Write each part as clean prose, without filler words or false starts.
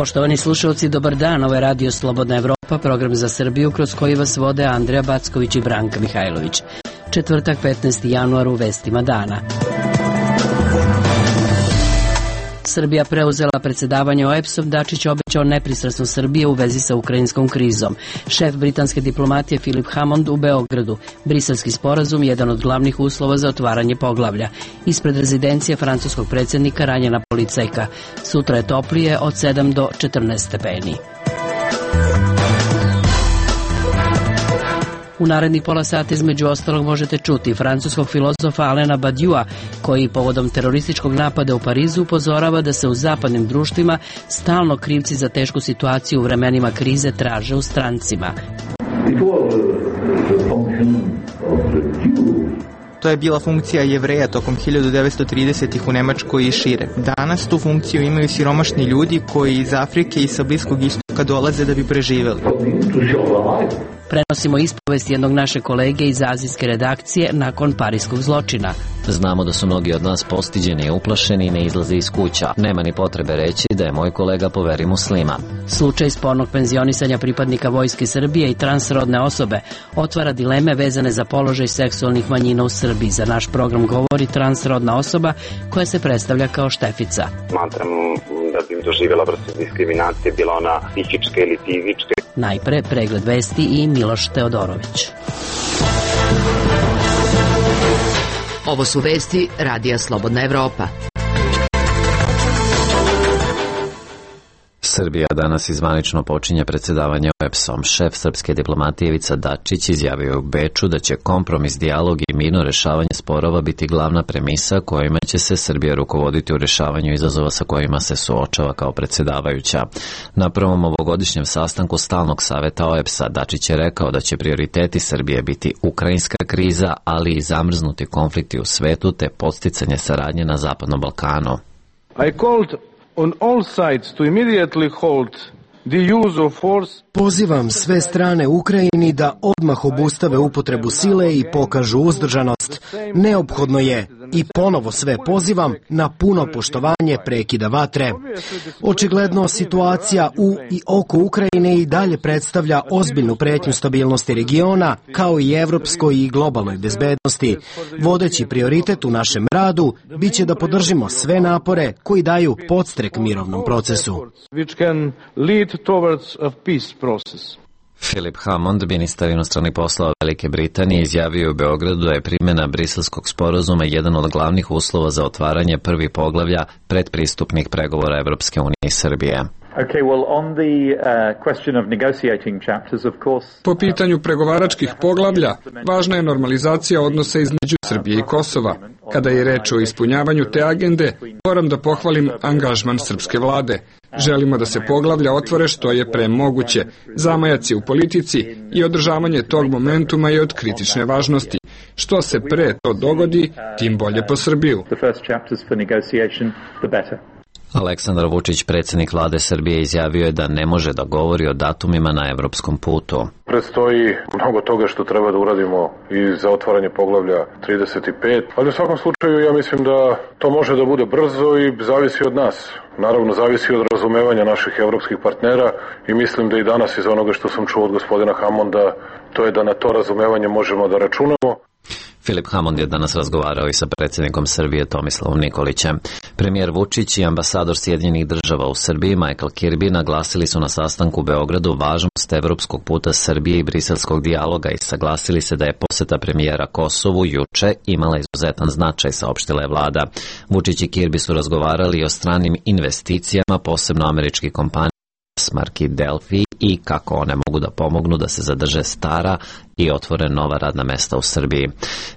Poštovani slušalci, dobar dan. Ovo je Radio Slobodna Evropa, program za Srbiju kroz koji vas vode Andreja Backović i Branka Mihajlović. Četvrtak, 15. januar, u vestima dana. Srbija preuzela predsedavanje OEBS-om, Dačić obećao nepristrasnost Srbije u vezi sa ukrajinskom krizom. Šef britanske diplomatije Philip Hammond u Beogradu. Briselski sporazum, jedan od glavnih uslova za otvaranje poglavlja. Ispred rezidencije francuskog predsjednika ranjena policajka. Sutra je toplije od 7 do 14 stepeni. U narednih pola sata između ostalog možete čuti francuskog filozofa Alena Badiua, koji povodom terorističkog napada u Parizu upozorava da se u zapadnim društvima stalno krivci za tešku situaciju u vremenima krize traže u strancima. To je bila funkcija Jevreja tokom 1930-ih u Nemačkoj i šire. Danas tu funkciju imaju siromašni ljudi koji iz Afrike i sa Bliskog istoka dolaze da bi preživeli. Prenosimo ispovest jednog naše kolege iz azijske redakcije nakon parijskog zločina. Znamo da su mnogi od nas postiđeni i uplašeni i ne izlaze iz kuća. Nema ni potrebe reći da je moj kolega po veri muslima. Slučaj spornog penzionisanja pripadnika Vojske Srbije i transrodne osobe otvara dileme vezane za položaj seksualnih manjina u Srbiji. Za naš program govori transrodna osoba koja se predstavlja kao Štefica. Smatram da bi im doživjela vrstu diskriminacije, bila ona psihička ili fizička. Najpre pregled vesti i Miloš Teodorović. Ovo su vesti Radija Slobodna Evropa. Srbija danas izvanično počinje predsedavanje OEBS-om. Šef srpske diplomatije Ivica Dačić izjavio je u Beču da će kompromis, dijalog i mirno rešavanje sporova biti glavna premisa kojima će se Srbija rukovoditi u rešavanju izazova sa kojima se suočava kao predsedavajuća. Na prvom ovogodišnjem sastanku Stalnog saveta OEBS-a Dačić je rekao da će prioriteti Srbije biti ukrajinska kriza, ali i zamrznuti konflikti u svetu te podsticanje saradnje na Zapadnom Balkanu. On all sides to immediately halt the use of force. Pozivam sve strane Ukrajini da odmah obustave upotrebu sile i pokažu uzdržanost. Neophodno je, i ponovo sve pozivam, na puno poštovanje prekida vatre. Očigledno situacija u i oko Ukrajine i dalje predstavlja ozbiljnu pretnju stabilnosti regiona, kao i evropskoj i globalnoj bezbednosti. Vodeći prioritet u našem radu biće da podržimo sve napore koji daju podstrek mirovnom procesu. Philip Hammond, ministar inostranih poslova Velike Britanije, izjavio u Beogradu da je primjena Briselskog sporazuma jedan od glavnih uslova za otvaranje prvih poglavlja predpristupnih pregovora Evropske unije i Srbije. Po pitanju pregovaračkih poglavlja, važna je normalizacija odnosa između Srbije i Kosova. Kada je reč o ispunjavanju te agende, moram da pohvalim angažman srpske vlade. Želimo da se poglavlja otvore što je pre moguće. Zamajac je u politici i održavanje tog momentuma je od kritične važnosti. Što se pre to dogodi, tim bolje po Srbiju. Aleksandar Vučić, predsjednik vlade Srbije, izjavio je da ne može da govori o datumima na evropskom putu. Predstoji mnogo toga što treba da uradimo i za otvaranje poglavlja 35, ali u svakom slučaju ja mislim da to može da bude brzo i zavisi od nas. Naravno, zavisi od razumevanja naših evropskih partnera i mislim da i danas iz onoga što sam čuo od gospodina Hammonda, to je da na to razumevanje možemo da računamo. Philip Hammond je danas razgovarao i sa predsjednikom Srbije Tomislavom Nikolićem. Premijer Vučić i ambasador Sjedinjenih država u Srbiji Michael Kirby naglasili su na sastanku u Beogradu važnost evropskog puta Srbije i briselskog dijaloga i saglasili se da je poseta premijera Kosovu juče imala izuzetan značaj, saopštila je vlada. Vučić i Kirby su razgovarali i o stranim investicijama, posebno američkih kompanija marki Delphi i kako one mogu da pomognu da se zadrže stara i otvore nova radna mesta u Srbiji.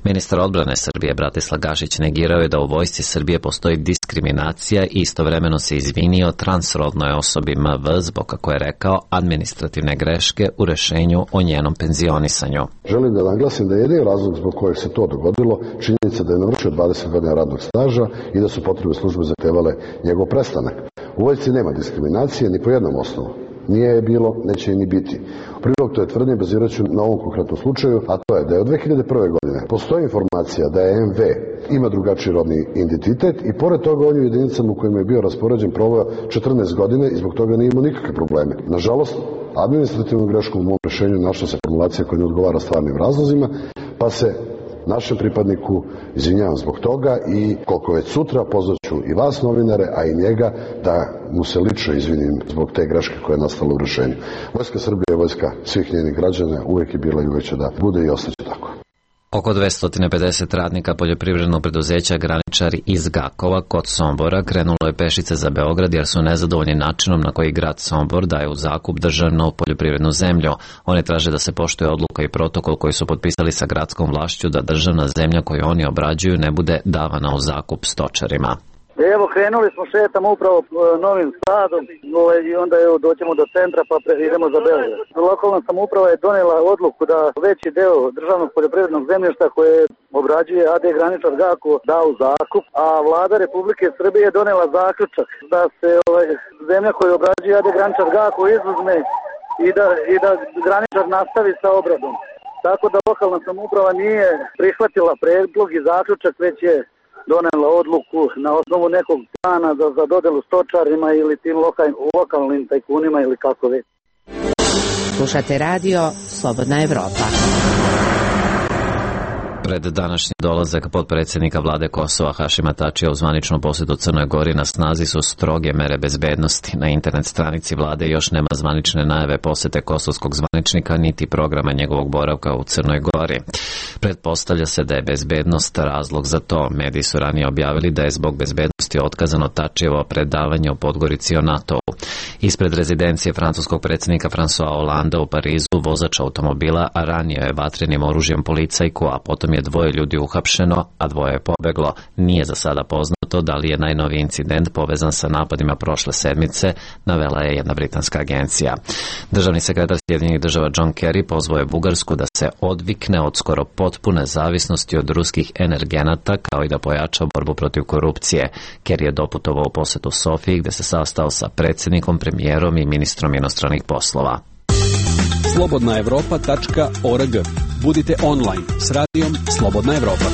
Ministar odbrane Srbije Bratislav Gašić negirao je da u vojsci Srbije postoji diskriminacija i istovremeno se izvinio transrodnoj osobi MV zbog, kako je rekao, administrativne greške u rešenju o njenom penzionisanju. Želim da naglasim da je jedini razlog zbog kojeg se to dogodilo činjenica da je navršio 20 godina radnog staža i da su potrebe službe zahtevale njegov prestanak. U vojsci nema diskriminacije ni po jednom osnovu. Nije je bilo, neće je ni biti. U prilog to je tvrdnje bazirat ću na ovom konkretnom slučaju, a to je da je od 2001. godine postoji informacija da je MV ima drugačiji rodni identitet i pored toga on je u jedinicama u kojima je bio raspoređen proveo 14 godine i zbog toga nije imao nikakve probleme. Nažalost, administrativnom greškom u mom rešenju našla se formulacija koja ne odgovara stvarnim razlozima, pa se našem pripadniku izvinjavam zbog toga i koliko već sutra pozvaću i vas novinare, a i njega da mu se lično izvinim zbog te greške koja je nastala u rešenju. Vojska Srbije je vojska svih njenih građana, uvijek je bila i uvijek će da bude i ostaće tako. Oko 250 radnika poljoprivrednog preduzeća Graničari iz Gakova kod Sombora krenulo je pešice za Beograd jer su nezadovoljni načinom na koji grad Sombor daje u zakup državnu poljoprivrednu zemlju. One traže da se poštuje odluka i protokol koji su potpisali sa gradskom vlašću da državna zemlja koju oni obrađuju ne bude davana u zakup stočarima. Evo, krenuli smo, šetamo upravo Novim Sadom i onda doćemo do centra pa idemo za Beograd. Lokalna samouprava je donela odluku da veći deo državnog poljoprivrednog zemljišta koje obrađuje AD Graničar Gako da u zakup, a vlada Republike Srbije je donela zaključak da se zemlja koju obrađuje AD Graničar Gako izuzme i da Graničar nastavi sa obradom. Tako da lokalna samouprava nije prihvatila predlog i zaključak, već je donela odluku na osnovu nekog plana za dodelu stočarima ili tim lokalnim tajkunima ili kako već. Slušate radio Slobodna Evropa. Pred današnji dolazak potpredsjednika vlade Kosova Hašima Tačija u zvaničnu posjetu Crnoj Gori na snazi su stroge mere bezbednosti. Na internet stranici vlade još nema zvanične najave posjete kosovskog zvaničnika niti programa njegovog boravka u Crnoj Gori. Pretpostavlja se da je bezbednost razlog za to. Mediji su ranije objavili da je zbog bezbednosti otkazano Tačijevo predavanje u Podgorici o NATO-u. Ispred rezidencije francuskog predsjednika François Hollanda u Parizu vozač automobila ranio je vatrenim oružjem policajku, a potom je 2 ljudi uhapšeno, a 2 je pobeglo. Nije za sada poznato da li je najnoviji incident povezan sa napadima prošle sedmice, navela je jedna britanska agencija. Državni sekretar Sjedinjenih država John Kerry pozvao je Bugarsku da se odvikne od skoro potpune zavisnosti od ruskih energenata, kao i da pojača borbu protiv korupcije. Kerry je doputovao u posjetu Sofiji, gde se sastao sa predsjednikom, premijerom i ministrom inostranih poslova. slobodnaevropa.org. Budite online s radijom Slobodna Evropa.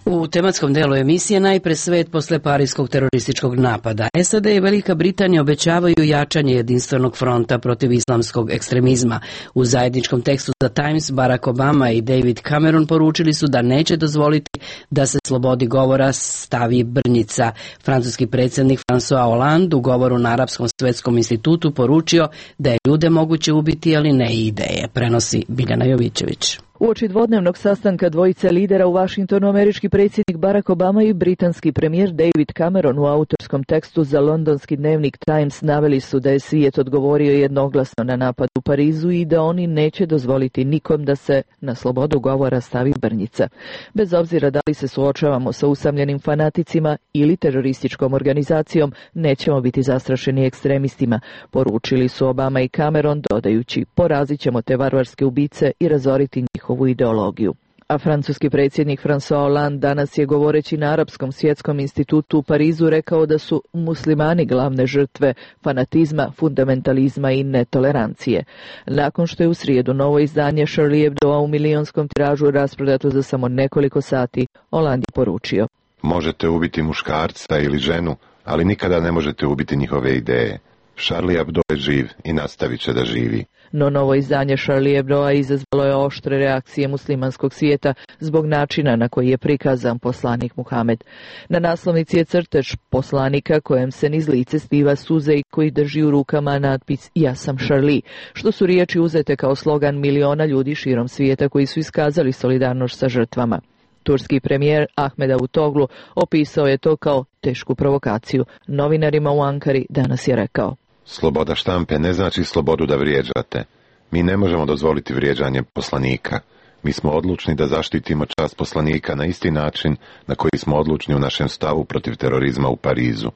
U tematskom delu emisije najpre svet posle parijskog terorističkog napada. SAD i Velika Britanija obećavaju jačanje jedinstvenog fronta protiv islamskog ekstremizma. U zajedničkom tekstu za Times Barack Obama i David Cameron poručili su da neće dozvoliti da se slobodi govora stavi brnjica. Francuski predsjednik François Hollande u govoru na Arapskom svetskom institutu poručio da je ljude moguće ubiti, ali ne i ideje, prenosi Biljana Jovićević. Uoči dvodnevnog sastanka dvojice lidera u Vašingtonu, američki predsjednik Barack Obama i britanski premijer David Cameron u autorskom tekstu za londonski dnevnik Times naveli su da je svijet odgovorio jednoglasno na napad u Parizu i da oni neće dozvoliti nikom da se na slobodu govora stavi brnjica. Bez obzira da li se suočavamo sa usamljenim fanaticima ili terorističkom organizacijom, nećemo biti zastrašeni ekstremistima, poručili su Obama i Cameron, dodajući: porazit ćemo te varvarske ubice i razoriti njihovu ideologiju. A francuski predsjednik François Hollande danas je, govoreći na Arapskom svjetskom institutu u Parizu, rekao da su muslimani glavne žrtve fanatizma, fundamentalizma i netolerancije. Nakon što je u srijedu novo izdanje Charlie Hebdoa u milionskom tiražu rasprodato za samo nekoliko sati, Hollande je poručio: možete ubiti muškarca ili ženu, ali nikada ne možete ubiti njihove ideje. Charlie Hebdo je živ i nastavit će da živi. No novo izdanje Charlie Hebdoa izazvalo je oštre reakcije muslimanskog svijeta zbog načina na koji je prikazan poslanik Muhamed. Na naslovnici je crtež poslanika kojem se niz lice sliva suze i koji drži u rukama natpis "Ja sam Charlie", što su riječi uzete kao slogan miliona ljudi širom svijeta koji su iskazali solidarnost sa žrtvama. Turski premijer Ahmed Davutoglu opisao je to kao tešku provokaciju. Novinarima u Ankari danas je rekao: sloboda štampe ne znači slobodu da vrijeđate. Mi ne možemo dozvoliti vrijeđanje poslanika. Mi smo odlučni da zaštitimo čast poslanika na isti način na koji smo odlučni u našem stavu protiv terorizma u Parizu.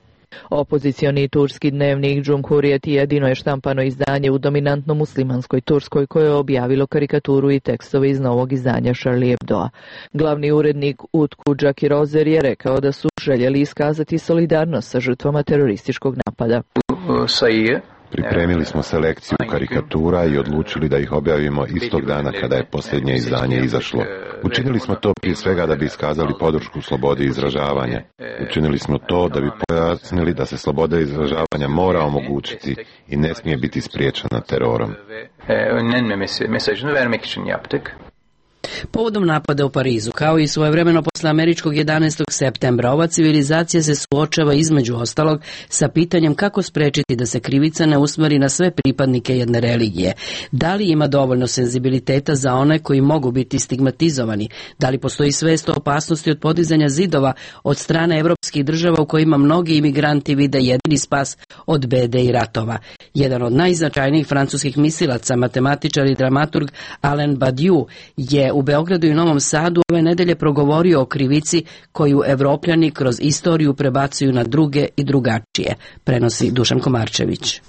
Opozicioni turski dnevnik Cumhuriyet jedino je štampano izdanje u dominantno muslimanskoj Turskoj koje je objavilo karikaturu i tekstove iz novog izdanja Charlie Hebdoa. Glavni urednik Utku Džakirozer je rekao da su željeli iskazati solidarnost sa žrtvama terorističkog napada. Pripremili smo selekciju karikatura i odlučili da ih objavimo istog dana kada je posljednje izdanje izašlo. Učinili smo to prije svega da bi iskazali podršku slobodi izražavanja. Učinili smo to da bi pojasnili da se sloboda izražavanja mora omogućiti i ne smije biti spriječena terorom. Povodom napada u Parizu, kao i svojevremeno posle američkog 11. septembra, ova civilizacija se suočava između ostalog sa pitanjem kako sprečiti da se krivica ne usmeri na sve pripadnike jedne religije. Da li ima dovoljno senzibiliteta za one koji mogu biti stigmatizovani? Da li postoji svest o opasnosti od podizanja zidova od strane evropskih država u kojima mnogi imigranti vide jedini spas od bede i ratova? Jedan od najznačajnijih francuskih mislilaca, matematičar i dramaturg Alain Badiou je u Beogradu i Novom Sadu ove nedelje progovorio o krivici koju Evropljani kroz istoriju prebacuju na druge i drugačije, prenosi Dušan Komarčević.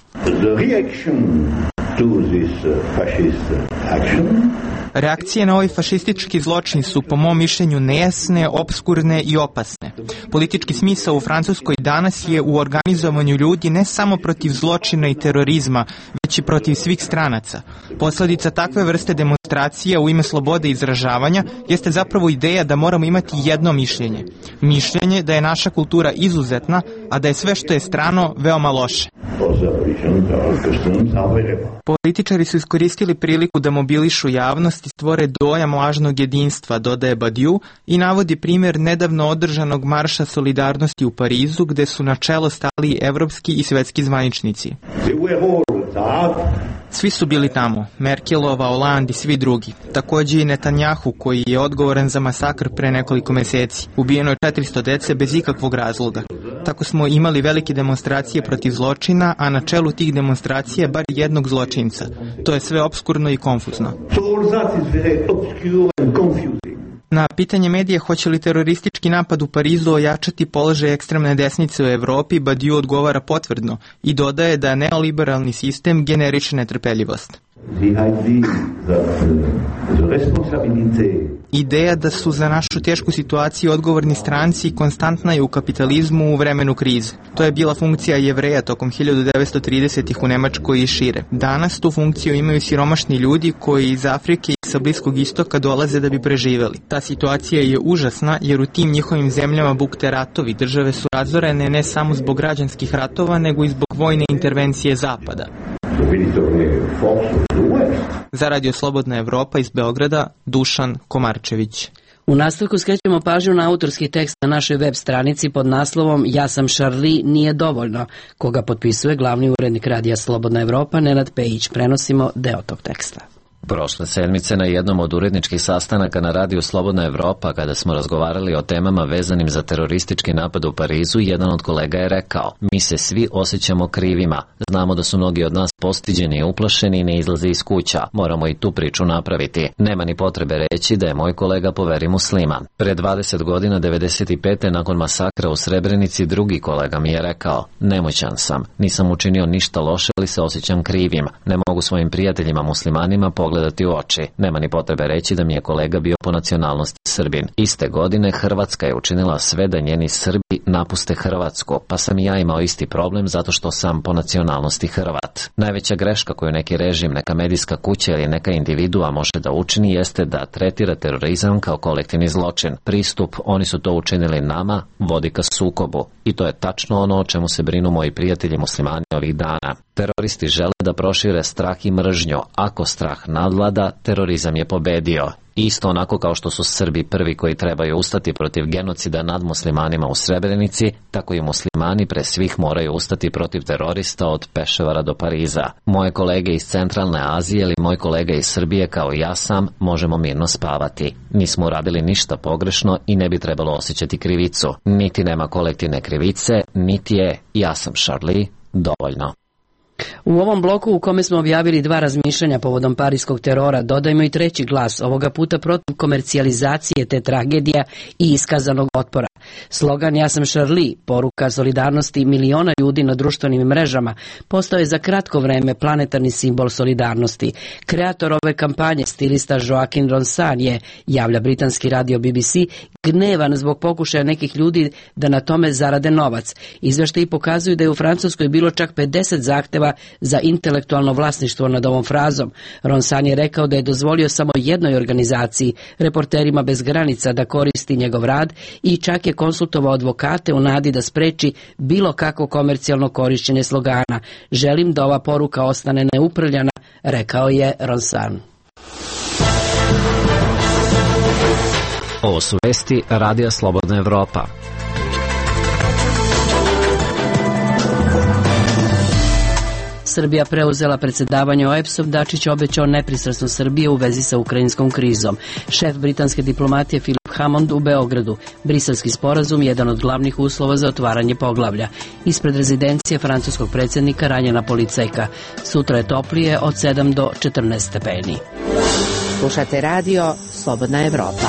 Reakcije na ovaj fašistički zločin su po mom mišljenju nejasne, opskurne i opasne. Politički smisao u Francuskoj danas je u organizovanju ljudi ne samo protiv zločina i terorizma, već i protiv svih stranaca. Posledica takve vrste demonstracije u ime slobode izražavanja jeste zapravo ideja da moramo imati jedno mišljenje. Mišljenje da je naša kultura izuzetna, a da je sve što je strano veoma loše. Političari su iskoristili priliku da mobilišu javnost i stvore dojam lažnog jedinstva, dodaje Badiou, i navodi primjer nedavno održanog marša solidarnosti u Parizu, gde su na čelo stali evropski i svetski zvaničnici. Svi su bili tamo, Merkelova, Hollande i svi drugi. Takođe i Netanjahu, koji je odgovoran za masakr pre nekoliko meseci. Ubijeno je 400 dece bez ikakvog razloga. Tako smo imali velike demonstracije protiv zločina, a na čelu tih demonstracija bar jednog zločinca. To je sve opskurno i konfuzno. Na pitanje medija hoće li teroristički napad u Parizu ojačati položaj ekstremne desnice u Evropi, Badiou odgovara potvrdno i dodaje da neoliberalni sistem generiše netrpeljivost. Ideja da su za našu tešku situaciju odgovorni stranci konstantna je u kapitalizmu u vremenu krize. To je bila funkcija Jevreja tokom 1930-ih u Nemačkoj i šire. Danas tu funkciju imaju siromašni ljudi koji iz Afrike i sa Bliskog istoka dolaze da bi preživeli. Ta situacija je užasna jer u tim njihovim zemljama bukte ratovi. Države su razorene ne samo zbog građanskih ratova, nego i zbog vojne intervencije Zapada. Za Radio Slobodna Evropa iz Beograda, Dušan Komarčević. U nastavku skrećemo pažnju na autorski tekst na našoj web stranici pod naslovom Ja sam Charlie, nije dovoljno, koga potpisuje glavni urednik Radija Slobodna Evropa Nenad Pejić. Prenosimo deo tog teksta. Prošle sedmice na jednom od uredničkih sastanaka na Radiju Slobodna Evropa, kada smo razgovarali o temama vezanim za teroristički napad u Parizu, jedan od kolega je rekao: mi se svi osjećamo krivima. Znamo da su mnogi od nas postiđeni i uplašeni i ne izlaze iz kuća. Moramo i tu priču napraviti. Nema ni potrebe reći da je moj kolega po veri musliman. Pre 20 godina, 95. nakon masakra u Srebrenici, drugi kolega mi je rekao: nemoćan sam, nisam učinio ništa loše, ali se osjećam krivim. Ne mogu svojim prijateljima muslimanima pogledati u oči. Nema ni potrebe reći da mi je kolega bio po nacionalnosti Srbin. Iste godine Hrvatska je učinila sve da njeni Srbi napuste Hrvatsku, pa sam i ja imao isti problem zato što sam po nacionalnosti Hrvat. Najveća greška koju neki režim, neka medijska kuća ili neka individua može da učini jeste da tretira terorizam kao kolektivni zločin. Pristup, oni su to učinili nama, vodi ka sukobu. I to je tačno ono o čemu se brinu moji prijatelji muslimani ovih dana. Teroristi žele da prošire strah i mržnju. Ako strah nadvlada, terorizam je pobedio. Isto onako kao što su Srbi prvi koji trebaju ustati protiv genocida nad muslimanima u Srebrenici, tako i muslimani pre svih moraju ustati protiv terorista od Peševara do Pariza. Moje kolege iz Centralne Azije ili moj kolega iz Srbije kao ja sam možemo mirno spavati. Nismo uradili ništa pogrešno i ne bi trebalo osjećati krivicu. Niti nema kolektivne krivice, niti je ja sam Charlie dovoljno. U ovom bloku u kome smo objavili 2 razmišljanja povodom parijskog terora, dodajmo i 3. glas, ovoga puta protiv komercijalizacije te tragedija i iskazanog otpora. Slogan "Ja sam Charlie", poruka solidarnosti miliona ljudi na društvenim mrežama, postao je za kratko vreme planetarni simbol solidarnosti. Kreator ove kampanje, stilista Joaquin Ronsan, je, javlja britanski radio BBC, gnevan zbog pokušaja nekih ljudi da na tome zarade novac. Izveštaji pokazuju da je u Francuskoj bilo čak 50 zahteva za intelektualno vlasništvo nad ovom frazom. Ronsan je rekao da je dozvolio samo jednoj organizaciji, Reporterima bez granica, da koristi njegov rad i čak je konsultovao advokate u nadi da spreči bilo kakvo komercijalno korišćenje slogana. "Želim da ova poruka ostane neuprljana", rekao je Ronsan. Ovo su vesti Radija Slobodna Evropa. Srbija preuzela predsjedavanje OEBS-om, Dačić obećao nepristrasnost Srbije u vezi sa ukrajinskom krizom. Šef britanske diplomatije Philip Hammond u Beogradu. Briselski sporazum je jedan od glavnih uslova za otvaranje poglavlja. Ispred rezidencije francuskog predsjednika ranjena policajka. Sutra je toplije od 7 do 14 stepeni. Slušate radio Slobodna Evropa.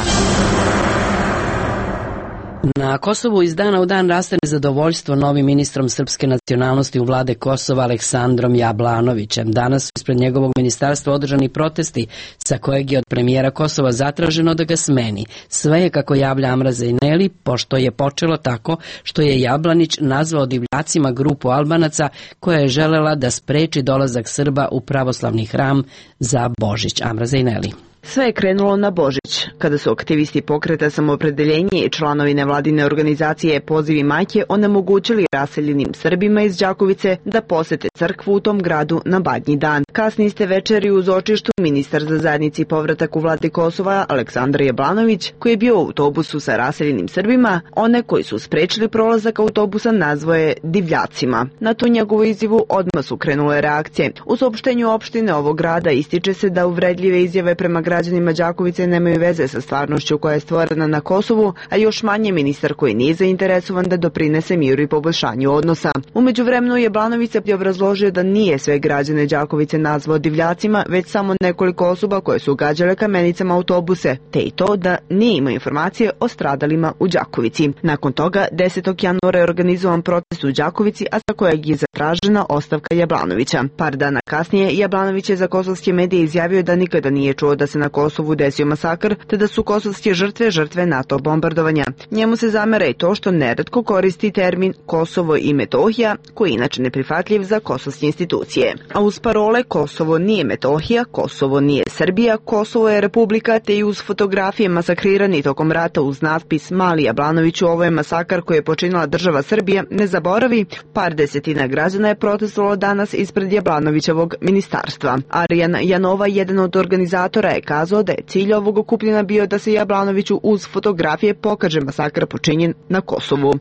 Na Kosovu iz dana u dan raste nezadovoljstvo novim ministrom srpske nacionalnosti u vlade Kosova Aleksandrom Jablanovićem. Danas su ispred njegovog ministarstva održani protesti sa kojeg je od premijera Kosova zatraženo da ga smeni. Sve je, kako javlja Amra Zejneli, pošto je počelo tako što je Jablanić nazvao divljacima grupu Albanaca koja je želela da spreči dolazak Srba u pravoslavni hram za Božić. Amra Zejneli. Sve je krenulo na Božić, kada su aktivisti pokreta Samoopredeljenje i članovi nevladine organizacije Pozivi majke onemogućili raseljenim Srbima iz Đakovice da posete crkvu u tom gradu na Badnji dan. Kasni iste večeri uz očištu ministar za zajednici povratak u vladi Kosova Aleksandar Jablanović, koji je bio u autobusu sa raseljenim Srbima, one koji su sprečili prolazak autobusa nazvao je divljacima. Na tu njegovu izjavu odmah su krenule reakcije. U saopštenju opštine ovog grada ističe se da uvredljive izjave prema građanima Đakovice nemaju veze sa stvarnošću koja je stvorena na Kosovu, a još manje ministar koji nije zainteresovan da doprinese miru i poboljšanju odnosa. U međuvremenu Jablanović je obrazložio da nije sve građane Đakovice nazvao divljacima, već samo nekoliko osoba koje su gađale kamenicama autobuse, te i to da nije imao informacije o stradalima u Đakovici. Nakon toga, 10. januara je organizovan protest u Đakovici, a sa kojeg je zatražena ostavka Jablanovića. Par dana kasnije, Jablanović je za kosovske medije izjavio da nikada nije čuo da se na Kosovu desio masakr, te da su kosovske žrtve NATO bombardovanja. Njemu se zamera i to što neretko koristi termin Kosovo i Metohija, koji je inače neprihvatljiv za kosovske institucije. A uz parole Kosovo nije Metohija, Kosovo nije Srbija, Kosovo je republika, te i uz fotografije masakrirani tokom rata uz natpis "Mali Jablanoviću, ovo je masakar koji je počinila država Srbija, ne zaboravi", par desetina građana je protestovalo danas ispred Jablanovićevog ministarstva. Arjan Janova, jedan od organizatora, je kazao da je cilj ovog okupljena bio da se Jablanoviću uz fotografije pokaže masakr počinjen na Kosovu.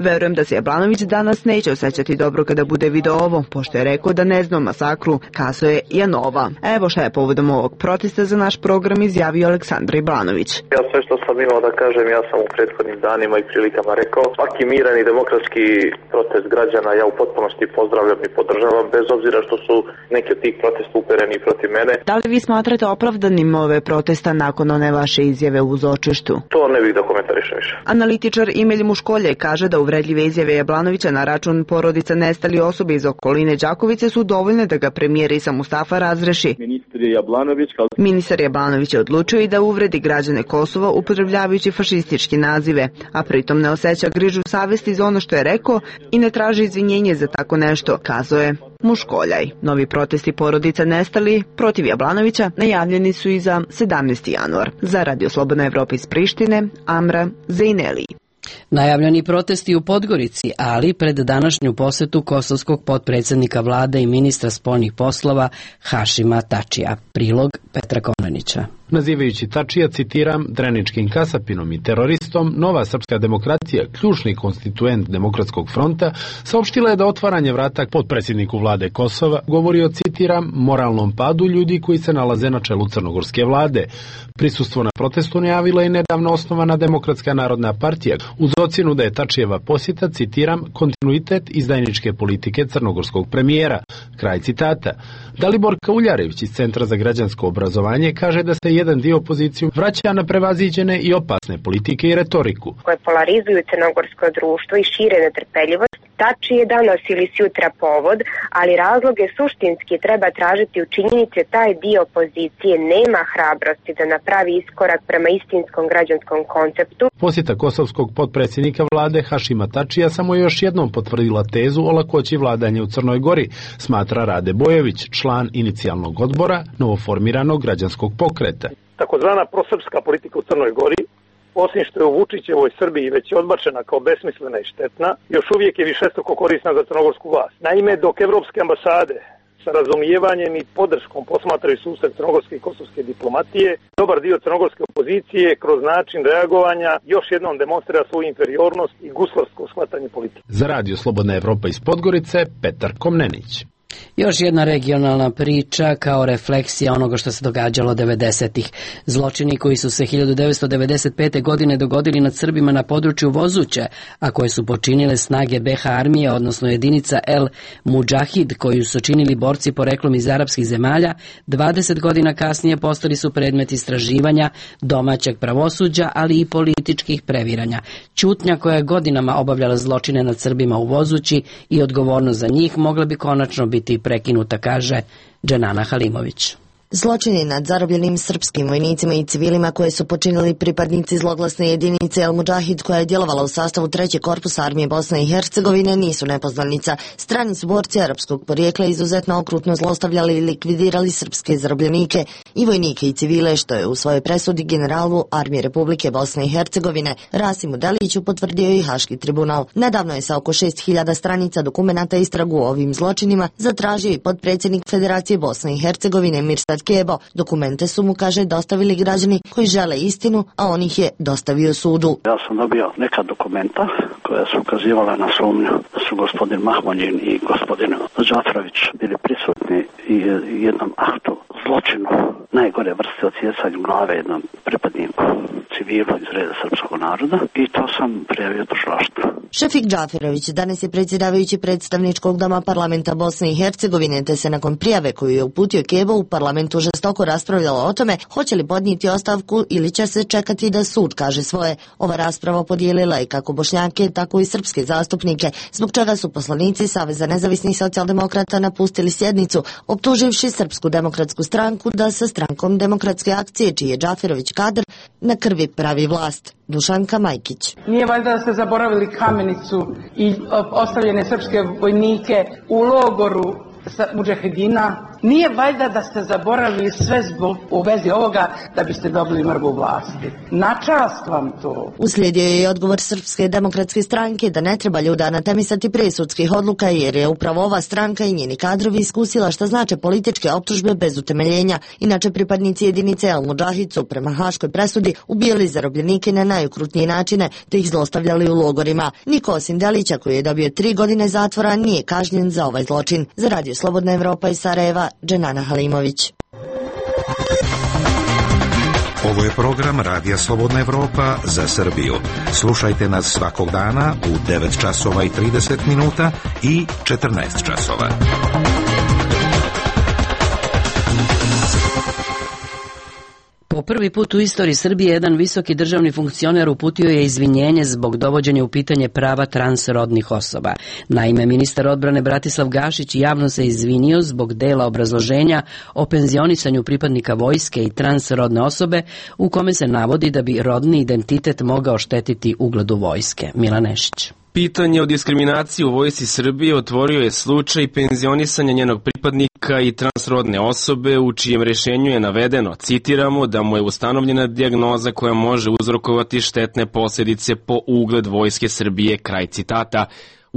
Verujem da se Jablanović danas neće osjećati dobro kada bude video ovo, pošto je rekao da ne zna o masakru, kazao je Janova. Evo šta je povodom ovog protesta za naš program izjavio Aleksandar Jablanović. Ja sve što sam imao da kažem, ja sam u prethodnim danima i prilikama rekao, svaki miran i demokratski protest građana ja u potpunosti pozdravljam i podržavam, bez obzira što su neki od tih protesta upereni protiv mene. Da li vi smatrate opravdanim ove protesta nakon one vaše izjave uz očištu? To ne bih da komentarišem više. Analitičar Emil Muškolje kaže da uvredljive izjave Jablanovića na račun porodica nestali osobe iz okoline Đakovice su dovoljne da ga premijer Isa Mustafa razreši. Ministar Jablanović je odlučio i da uvredi građane Kosova upotrebljavajući fašističke nazive, a pritom ne osjeća grižu savesti za ono što je rekao i ne traži izvinjenje za tako nešto, kazao je Muškoljaj. Novi protesti porodica nestali protiv Jablanovića najavljeni su i za 17. januar. Za Radio Slobodna Evropa iz Prištine, Amra Zejneli. Najavljeni protesti u Podgorici, ali pred današnju posetu kosovskog potpredsjednika vlade i ministra spoljnih poslova Hašima Tačija. Prilog Petra Konanića. nazivajući Tačija, citiram, dreničkim kasapinom i teroristom. Nova srpska demokratija, ključni konstituent Demokratskog fronta, saopštila je da otvaranje vrata potpredsjedniku vlade Kosova govori o, citiram, moralnom padu ljudi koji se nalaze na čelu crnogorske vlade. Prisustvo na protestu najavila je nedavno osnovana Demokratska narodna partija uz ocjenu da je Tačijeva posjeta, citiram, kontinuitet izdajničke politike crnogorskog premijera. Kraj citata. Dalibor Kauljarević iz Centra za građansko obrazovanje kaže da se jedan dio opoziciju vraća na prevaziđene i opasne politike i retoriku, koje polarizuju crnogorsko društvo i šire netrpeljivost. Tačije je danas ili sutra povod, ali razloge suštinski treba tražiti u činjenici taj dio opozicije nema hrabrosti da napravi iskorak prema istinskom građanskom konceptu. Posjeta kosovskog potpredsjednika vlade Hašima Tačija samo je još jednom potvrdila tezu o lakoći vladanja u Crnoj Gori, smatra Rade Bojović, član inicijalnog odbora novoformiranog građanskog pokreta. Takozvana prosrpska politika u Crnoj Gori, osim što je u Vučićevoj Srbiji već odbačena kao besmislena i štetna, još uvijek je višestruko korisna za crnogorsku vlast. Naime, dok evropske ambasade sa razumijevanjem i podrškom posmatraju susret crnogorske i kosovske diplomatije, dobar dio crnogorske opozicije kroz način reagovanja još jednom demonstrira svoju inferiornost i guslarsko shvatanje politike. Za Radio Slobodna Evropa iz Podgorice, Petar Komnenić. Još jedna regionalna priča kao refleksija onoga što se događalo 90-ih. Zločini koji su se 1995. godine dogodili nad Srbima na području Vozuće, a koje su počinile snage BH armije, odnosno jedinica El Mudžahid, koju su činili borci poreklom iz arapskih zemalja, 20 godina kasnije postali su predmet istraživanja domaćeg pravosuđa, ali i političkih previranja. Ćutnja koja je godinama obavljala zločine nad Srbima u Vozući i odgovornost za njih mogla bi konačno biti prekinuta, kaže Dženana Halimović. Zločini nad zarobljenim srpskim vojnicima i civilima koje su počinili pripadnici zloglasne jedinice El Mudžahid koja je djelovala u sastavu 3. korpusa armije Bosne i Hercegovine nisu nepoznanica. Strani su borci arapskog porijekla izuzetno okrutno zlostavljali i likvidirali srpske zarobljenike i vojnike i civile, što je u svojoj presudi generalu armije Republike Bosne i Hercegovine Rasimu Deliću potvrdio i Haški tribunal. Nedavno je sa oko 6000 stranica dokumenata istragu o ovim zločinima zatražio i potpredsjednik Federacije Bosne i Hercegovine Mirsad Kebo. Dokumente su mu, kaže, dostavili građani koji žele istinu, a on ih je dostavio sudu. Ja sam dobio neka dokumenta koja su ukazivala na sumnju da su gospodin Mahmonjin i gospodin Džafrović bili prisutni i jednom aktu zločinu najgore vrste odsjecanja glave jednom pripadniku civilu iz reda srpskog naroda i to sam prijavio tužilaštvu. Šefik Džaferović danas je predsjedavajući predstavničkog doma parlamenta Bosne i Hercegovine, te se nakon prijave koju je uputio Kebo u parlamentu žestoko raspravljalo o tome hoće li podnijeti ostavku ili će se čekati da sud kaže svoje. Ova rasprava podijelila i kako Bošnjake, tako i srpske zastupnike, zbog čega su poslanici Saveza nezavisnih socijaldemokrata napustili sjednicu, optuživši Srpsku demokratsku stranku da sa strankom Demokratske akcije, čiji je Džaferović kadar, na krvi pravi vlast. Dušanka Majkić. Nije valjda da ste zaboravili Kamenicu i ostavljene srpske vojnike u logoru mudžahedina? Nije valjda da ste zaboravili sve zbog u vezi ovoga da biste dobili mrgu vlasti? Na čast vam to. Uslijedio je i odgovor Srpske demokratske stranke da ne treba ljuda natemisati prije sudskih odluka, jer je upravo ova stranka i njeni kadrovi iskusila šta znače političke optužbe bez utemeljenja. Inače, pripadnici jedinice El Mudžahid su prema haškoj presudi ubijali zarobljenike na najukrutnije načine te ih zlostavljali u logorima. Niko osim Delića, koji je dobio 3 godine zatvora, nije kažnjen za ovaj zločin. Za Radio Slobodna Evropa iz Sarajeva, Dženana Halimović. Ovo je program Radija Slobodna Evropa za Srbiju. Slušajte nas svakog dana u 9 časova i 30 minuta i 14 časova. Po prvi put u istoriji Srbije jedan visoki državni funkcioner uputio je izvinjenje zbog dovođenja u pitanje prava transrodnih osoba. Naime, ministar odbrane Bratislav Gašić javno se izvinio zbog dela obrazloženja o penzionisanju pripadnika vojske i transrodne osobe, u kome se navodi da bi rodni identitet mogao štetiti ugledu vojske. Milan Nešić. Pitanje o diskriminaciji u vojsci Srbije otvorio je slučaj penzionisanja njenog pripadnika i transrodne osobe, u čijem rješenju je navedeno, citiramo, da mu je ustanovljena dijagnoza koja može uzrokovati štetne posljedice po ugled vojske Srbije, kraj citata.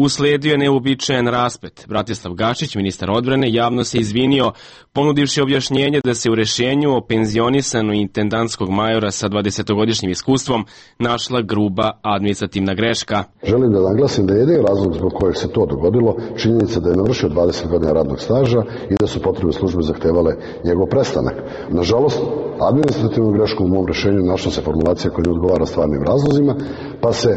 Usledio je neuobičajen rasplet. Bratislav Gašić, ministar odbrane, javno se izvinio, ponudivši objašnjenje da se u rešenju o penzionisanju intendantskog majora sa 20-godišnjim iskustvom našla gruba administrativna greška. Želim da naglasim da je jedini razlog zbog kojeg se to dogodilo činjenica da je navršio 20 godina radnog staža i da su potrebne službe zahtevale njegov prestanak. Nažalost, administrativnom greškom u mom rešenju našla se formulacija koja ne odgovara stvarnim razlozima, pa se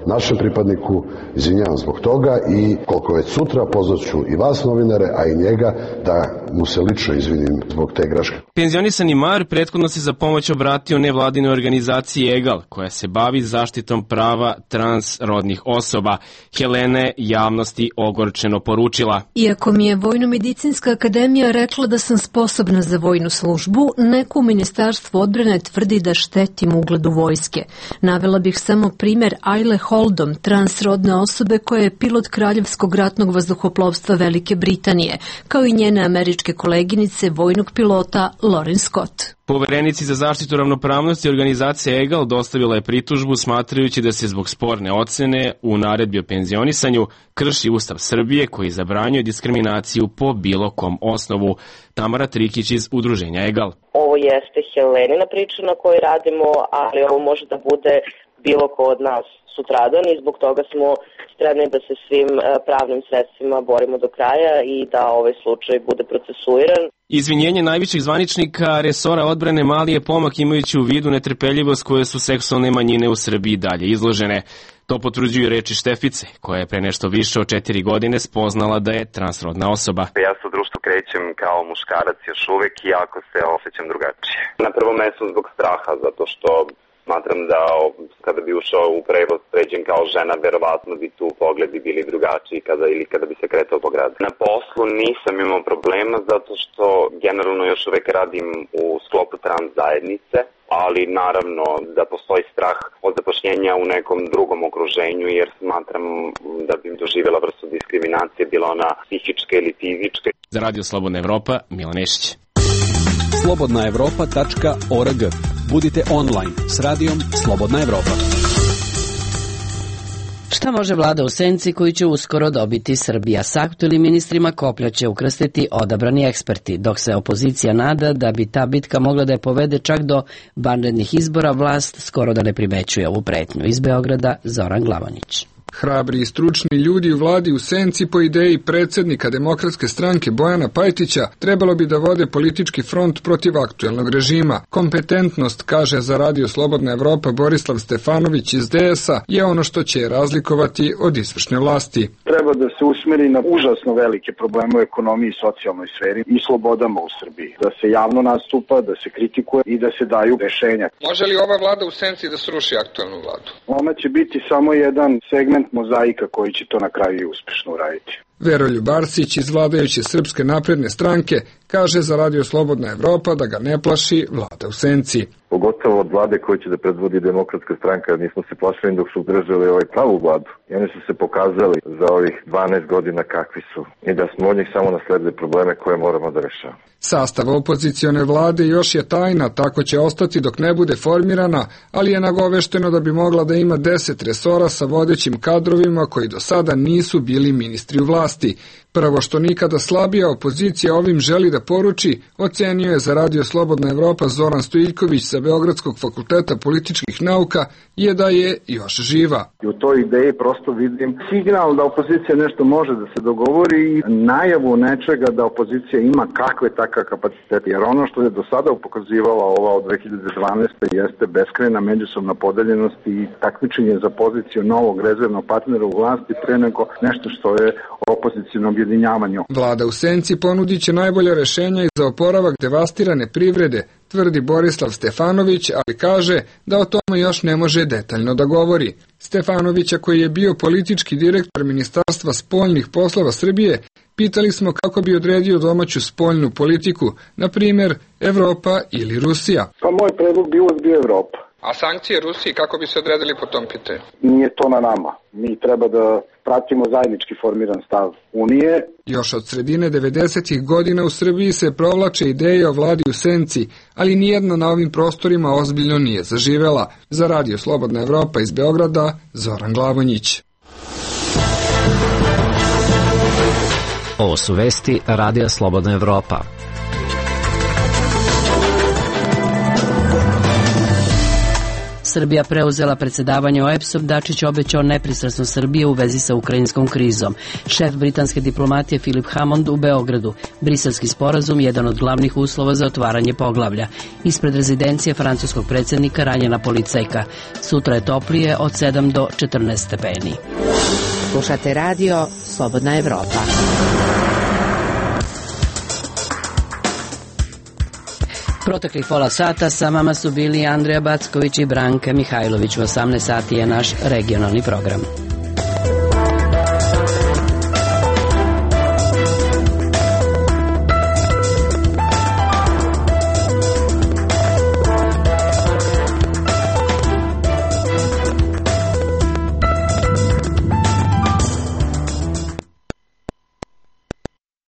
našem pripadniku izvinjavam zbog toga i koliko već sutra pozvaću i vas novinare, a i njega da mu se lično izvinim zbog te greške. Penzionisani major prethodno se za pomoć obratio nevladinoj organizaciji EGAL, koja se bavi zaštitom prava transrodnih osoba. Helena je javnosti ogorčeno poručila: Iako mi je Vojno-medicinska akademija rekla da sam sposobna za vojnu službu, neko u Ministarstvu odbrane tvrdi da štetim ugledu vojske. Navela bih samo primer Ajle Holdom, transrodne osobe koja je pilot Kraljevskog ratnog vazduhoplovstva Velike Britanije, kao i njene američke koleginice vojnog pilota Lauren Scott. Poverenici za zaštitu ravnopravnosti organizacije EGAL dostavila je pritužbu smatrajući da se zbog sporne ocene u naredbi o penzionisanju krši Ustav Srbije koji zabranjuje diskriminaciju po bilo kom osnovu. Tamara Trikić iz udruženja EGAL. Ovo jeste Helenina priča na kojoj radimo, ali ovo može da bude bilo ko od nas sutradan i zbog toga smo spremni da se svim pravnim sredstvima borimo do kraja i da ovaj slučaj bude procesuiran. Izvinjenje najviših zvaničnika resora odbrane mali je pomak imajući u vidu netrpeljivost koje su seksualne manjine u Srbiji dalje izložene. To potvrđuju reči Štefice, koja je pre nešto više od 4 godine spoznala da je transrodna osoba. Ja se u društvu krećem kao muškarac još uvek, iako se osjećam drugačije. Na prvom mestu zbog straha, zato što smatram da kada bi ušao u prevoz pređen kao žena, verovatno bi tu pogledi bili drugačiji kada bi se kretao po gradu. Na poslu nisam imao problema zato što generalno još uvek radim u sklopu trans zajednice, ali naravno da postoji strah od zapošljenja u nekom drugom okruženju jer smatram da bi doživjela vrstu diskriminacije, bila ona psihička ili fizička. Za Radio Slobodna Evropa, Milan Nešić. slobodnaevropa.org. Budite online s radijom Slobodna Evropa. Šta može vlada u senci koju će uskoro dobiti Srbija? S aktuelnim ministrima koplja će ukrstiti odabrani eksperti, dok se opozicija nada da bi ta bitka mogla da je povede čak do vanrednih izbora, vlast skoro da ne primećuje ovu pretnju. Iz Beograda, Zoran Glavonić. Hrabri i stručni ljudi u vladi u senci po ideji predsjednika Demokratske stranke Bojana Pajtića trebalo bi da vode politički front protiv aktuelnog režima. Kompetentnost, kaže za Radio Slobodna Evropa Borislav Stefanović iz DS-a, je ono što će razlikovati od izvršne vlasti. Treba da se usmeri na užasno velike probleme u ekonomiji i socijalnoj sferi i slobodama u Srbiji. Da se javno nastupa, da se kritikuje i da se daju rešenja. Može li ova vlada u senci da sruši aktuelnu vladu? Ona će biti samo jedan segment mozaika koji će to na kraju i uspešno uraditi. Veroljub Arsić iz vladajuće Srpske napredne stranke kaže za Radio Slobodna Evropa da ga ne plaši vlada u senci. Pogotovo od vlade koje će da predvodi Demokratska stranka, jer nismo se plašili dok su držali ovaj pravu vladu. I oni su se pokazali za ovih 12 godina kakvi su i da smo od njih samo nasledili probleme koje moramo da rešavamo. Sastav opozicione vlade još je tajna, tako će ostati dok ne bude formirana, ali je nagovešteno da bi mogla da ima 10 resora sa vodećim kadrovima koji do sada nisu bili ministri u vlasti. Prvo što nikada slabija opozicija ovim želi da poruči, ocenio je za Radio Slobodna Evropa Zoran Stojiljković sa Beogradskog fakulteta političkih nauka, je da je još živa. I u toj ideji prosto vidim signal da opozicija nešto može da se dogovori i najavu nečega da opozicija ima kakve takav kapacitete. Jer ono što je do sada pokazivala ova od 2012. jeste beskrajna međusobna podeljenost i takmičenje za poziciju novog rezervnog partnera u vlasti pre nego nešto što je opozicijno objedinjavanje. Vlada u senci ponudit će najbolja rešenja i za oporavak devastirane privrede, tvrdi Borislav Stefanović, ali kaže da o tome još ne može detaljno da govori. Stefanovića, koji je bio politički direktor Ministarstva spoljnih poslova Srbije, pitali smo kako bi odredio domaću spoljnu politiku, na primjer Evropa ili Rusija. Pa moj predlog bi uvek bio Evropa. A sankcije Rusiji kako bi se odredili po tom pitanju? Nije to na nama. Mi treba da pratimo zajednički formiran stav Unije. Još od sredine 90-ih godina u Srbiji se provlače ideje o vladi u senci, ali nijedna na ovim prostorima ozbiljno nije zaživela. Za Radio Slobodna Evropa iz Beograda, Zoran Glavonjić. Ovo su vesti Radija Slobodna Evropa. Srbija preuzela predsedavanje OEBS-om, Dačić obećao nepristrasnost Srbije u vezi sa ukrajinskom krizom. Šef britanske diplomatije Philip Hammond u Beogradu. Briselski sporazum jedan od glavnih uslova za otvaranje poglavlja. Ispred rezidencije francuskog predsjednika ranjena policajka. Sutra je toplije od 7 do 14 stepeni. Slušate radio Slobodna Evropa. Proteklih pola sata sa vama su bili Andreja Backović i Branka Mihajlović. U 18 sati je naš regionalni program.